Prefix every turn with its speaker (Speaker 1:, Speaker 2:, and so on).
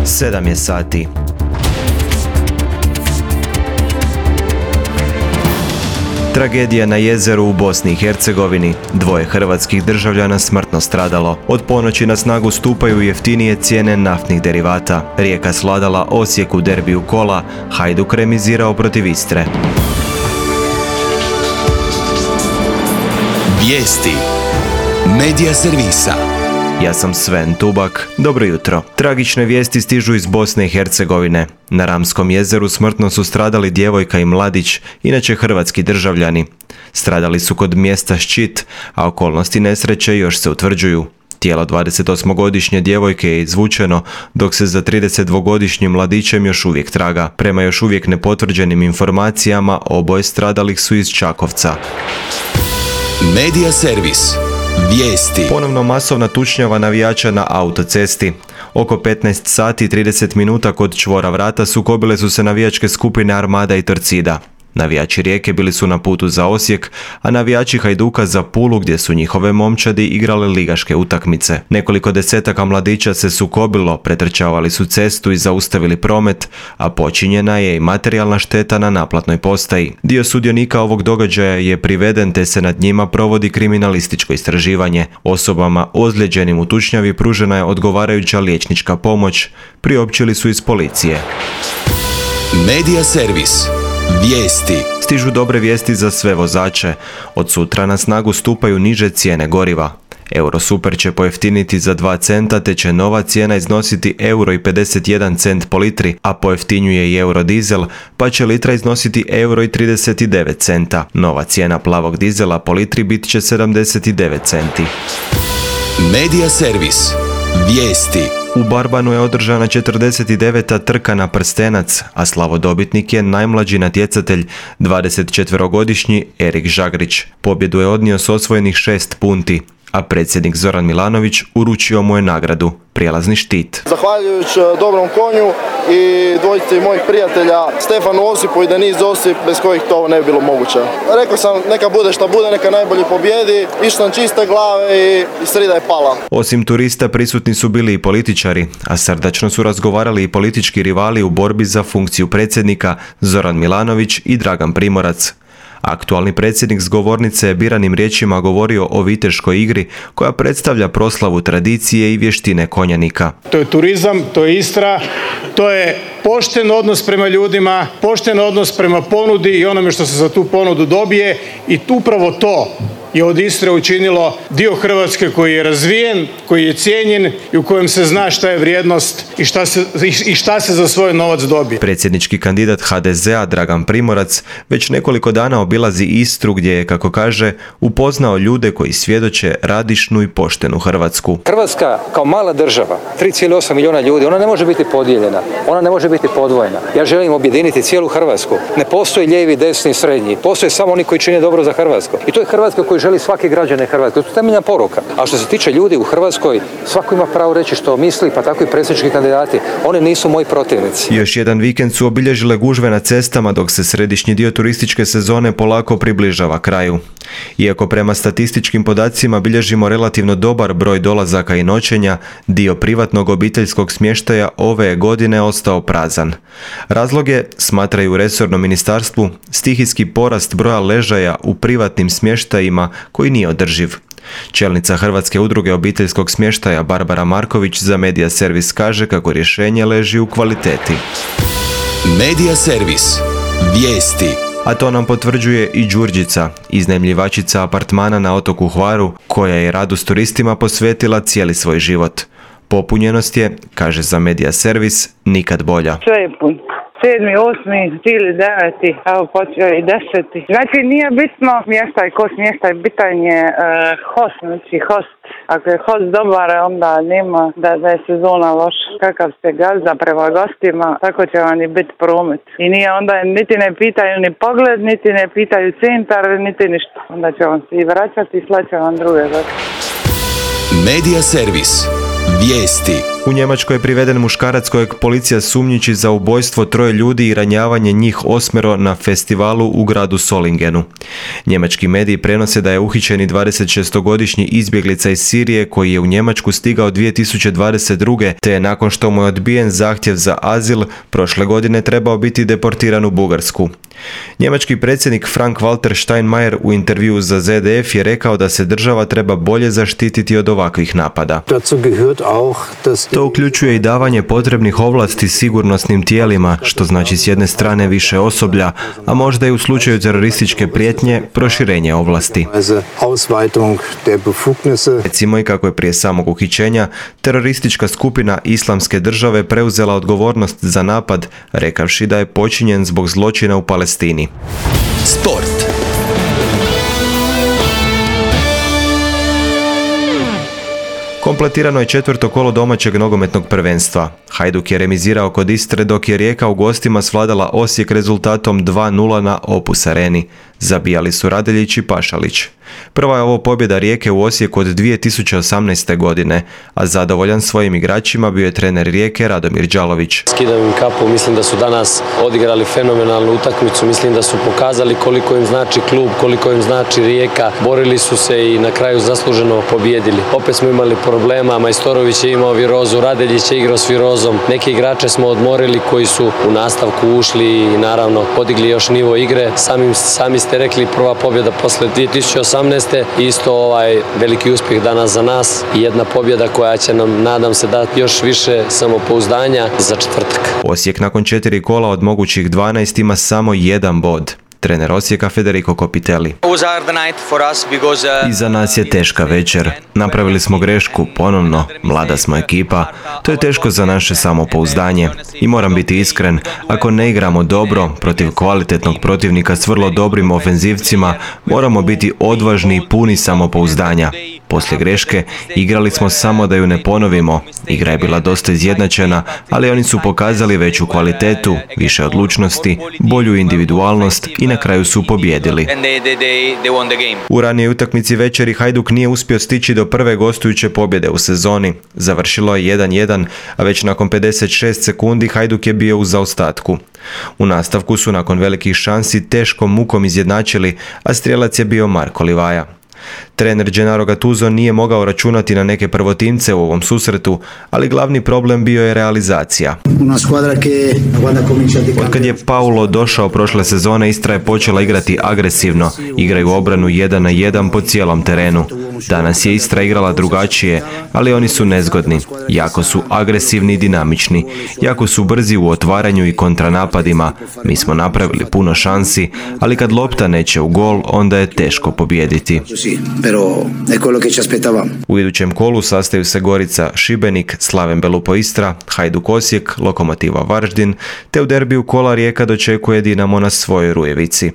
Speaker 1: 7 je sati. Tragedija na jezeru u Bosni i Hercegovini. 2 hrvatskih državljana smrtno stradalo. Od ponoći na snagu stupaju jeftinije cijene naftnih derivata. Rijeka svladala Osijek u derbiju kola, Hajduk remizirao protiv Istre.
Speaker 2: Vijesti Medija servisa.
Speaker 1: Ja sam Sven Tubak. Dobro jutro. Tragične vijesti stižu iz Bosne i Hercegovine. Na Ramskom jezeru smrtno su stradali djevojka i mladić, inače hrvatski državljani. Stradali su kod mjesta Ščit, a okolnosti nesreće još se utvrđuju. Tijelo 28-godišnje djevojke je izvučeno, dok se za 32-godišnjim mladićem još uvijek traga. Prema još uvijek nepotvrđenim informacijama, oboje stradalih su iz Čakovca.
Speaker 2: Medija servis. Vijesti.
Speaker 1: Ponovno masovna tučnjava navijača na autocesti. Oko 15 sati i 30 minuta kod čvora Vrata sukobile su se navijačke skupine Armada i Torcida. Navijači Rijeke bili su na putu za Osijek, a navijači Hajduka za Pulu, gdje su njihove momčadi igrale ligaške utakmice. Nekoliko desetaka mladića se sukobilo, pretrčavali su cestu i zaustavili promet, a počinjena je i materijalna šteta na naplatnoj postaji. Dio sudionika ovog događaja je priveden, te se nad njima provodi kriminalističko istraživanje. Osobama ozlijeđenim u tučnjavi pružena je odgovarajuća liječnička pomoć, priopćili su iz policije.
Speaker 2: Medija servis. Vijesti.
Speaker 1: Stižu dobre vijesti za sve vozače. Od sutra na snagu stupaju niže cijene goriva. Eurosuper će pojeftiniti za 2 centa, te će nova cijena iznositi €1,51 po litri, a pojeftinjuje i Eurodizel, pa će litra iznositi €1,39. Nova cijena plavog dizela po litri bit će 79 centi.
Speaker 2: Medija servis. Vijesti.
Speaker 1: U Barbanu je održana 49. trka na prstenac, a slavodobitnik je najmlađi natjecatelj, 24-godišnji Erik Žagrić. Pobjedu je odnio s osvojenih 6 punti, a predsjednik Zoran Milanović uručio mu je nagradu, prijelazni štit.
Speaker 3: Zahvaljujući dobrom konju i dvojici mojih prijatelja Stefanu Osipu i Deniz Osip, bez kojih to ne bi bilo moguće. Rekao sam, neka bude šta bude, neka najbolji pobjedi, išli sam čiste glave i srida je pala.
Speaker 1: Osim turista prisutni su bili i političari, a srdačno su razgovarali i politički rivali u borbi za funkciju predsjednika Zoran Milanović i Dragan Primorac. Aktualni predsjednik s govornice je biranim riječima govorio o viteškoj igri koja predstavlja proslavu tradicije i vještine konjanika.
Speaker 4: To je turizam, to je Istra, to je pošten odnos prema ljudima, pošten odnos prema ponudi i onome što se za tu ponudu dobije, i upravo to je od Istre učinilo dio Hrvatske koji je razvijen, koji je cijenjen i u kojem se zna šta je vrijednost i šta se za svoj novac dobije.
Speaker 1: Predsjednički kandidat HDZ-a Dragan Primorac već nekoliko dana obilazi Istru, gdje je, kako kaže, upoznao ljude koji svjedoče radišnu i poštenu Hrvatsku.
Speaker 5: Hrvatska kao mala država, 3,8 milijuna ljudi, ona ne može biti podijeljena, ona ne može biti podvojena. Ja želim objediniti cijelu Hrvatsku. Ne postoji lijevi, desni, srednji. Postoje samo oni koji čine dobro za Hrvatsku. I to je Hrvatska koju želi svaki građanin Hrvatske. To je temeljna poruka. A što se tiče ljudi u Hrvatskoj, svako ima pravo reći što misli, pa tako i predsjednički kandidati. Oni nisu moji protivnici.
Speaker 1: Još jedan vikend su obilježile gužve na cestama, dok se središnji dio turističke sezone polako približava kraju. Iako prema statističkim podacima bilježimo relativno dobar broj dolazaka i noćenja, dio privatnog obiteljskog smještaja ove je godine ostao prazan. Razlog je, smatraju u resornom ministarstvu, stihijski porast broja ležaja u privatnim smještajima koji nije održiv. Čelnica Hrvatske udruge obiteljskog smještaja Barbara Marković za Medija servis kaže kako rješenje leži u kvaliteti.
Speaker 2: Medija servis. Vijesti.
Speaker 1: A to nam potvrđuje i Đurđica, iznajmljivačica apartmana na otoku Hvaru, koja je radu s turistima posvetila cijeli svoj život. Popunjenost je, kaže za Medija servis, nikad bolja.
Speaker 6: Sve je pun. 7., 8., cijeli 9., evo počeo i 10. Znači nije bitno smještaj, ko smještaj, bitan je host, znači host. Ako je host dobar, onda nema da je sezona loša. Kakav ste gazda prema gostima, tako će vam i biti promet. I nije onda, niti ne pitaju ni pogled, niti ne pitaju centar, niti ništa. Onda će vam se i vraćati i slaće vam druge goste.
Speaker 2: Medija servis. Vijesti.
Speaker 1: U Njemačkoj je priveden muškarac kojeg policija sumnjiči za ubojstvo 3 ljudi i ranjavanje njih 8 na festivalu u gradu Solingenu. Njemački mediji prenose da je uhićeni 26-godišnji izbjeglica iz Sirije koji je u Njemačku stigao 2022. te je nakon što mu je odbijen zahtjev za azil prošle godine trebao biti deportiran u Bugarsku. Njemački predsjednik Frank-Walter Steinmeier u intervjuu za ZDF je rekao da se država treba bolje zaštititi od ovakvih napada. To uključuje i davanje potrebnih ovlasti sigurnosnim tijelima, što znači s jedne strane više osoblja, a možda i u slučaju terorističke prijetnje proširenje ovlasti. Recimo i kako je prije samog uhićenja teroristička skupina Islamske države preuzela odgovornost za napad, rekavši da je počinjen zbog zločina u Palestini.
Speaker 2: Sport.
Speaker 1: Kompletirano je 4. kolo domaćeg nogometnog prvenstva. Hajduk je remizirao kod Istre dok je Rijeka u gostima svladala Osijek rezultatom 2:0 na Opus Areni. Zabijali su Radeljić i Pašalić. Prva je ovo pobjeda Rijeke u Osijeku od 2018. godine, a zadovoljan svojim igračima bio je trener Rijeke Radomir Đalović.
Speaker 7: Skidam im kapu, mislim da su danas odigrali fenomenalnu utakmicu, mislim da su pokazali koliko im znači klub, koliko im znači Rijeka, borili su se i na kraju zasluženo pobjedili. Opet smo imali problema, Majstorović je imao virozu, Radeljić je igrao s virozom, neke igrače smo odmorili koji su u nastavku ušli i naravno podigli još nivo igre. Sami ste rekli, prva pobjeda posle 2018. Isto veliki uspjeh danas za nas i jedna pobjeda koja će nam, nadam se, dati još više samopouzdanja za četvrtak.
Speaker 1: Osijek nakon 4 kola od mogućih 12 ima samo 1 bod. Trener Osijeka Federico Copitelli. Iza nas je teška večer. Napravili smo grešku, ponovno, mlada smo ekipa. To je teško za naše samopouzdanje. I moram biti iskren, ako ne igramo dobro, protiv kvalitetnog protivnika s vrlo dobrim ofenzivcima, moramo biti odvažni i puni samopouzdanja. Poslije greške igrali smo samo da ju ne ponovimo. Igra je bila dosta izjednačena, ali oni su pokazali veću kvalitetu, više odlučnosti, bolju individualnost i na kraju su pobijedili. U ranijoj utakmici večeri Hajduk nije uspio stići do prve gostujuće pobjede u sezoni. Završilo je 1:1, a već nakon 56 sekundi Hajduk je bio u zaostatku. U nastavku su nakon velikih šansi teškom mukom izjednačili, a strijelac je bio Marko Livaja. Trener Gennaro Gattuso nije mogao računati na neke prvotimce u ovom susretu, ali glavni problem bio je realizacija. Otkad je Paulo došao prošle sezone, Istra je počela igrati agresivno, igraju obranu 1-1 po cijelom terenu. Danas je Istra igrala drugačije, ali oni su nezgodni. Jako su agresivni i dinamični, jako su brzi u otvaranju i kontranapadima. Mi smo napravili puno šansi, ali kad lopta neće u gol, onda je teško pobijediti. U idućem kolu sastaju se Gorica Šibenik, Slaven Belupo Istra, Hajduk Osijek, Lokomotiva Varaždin, te u derbiju kola Rijeka dočekuje Dinamo na svojoj Rujevici.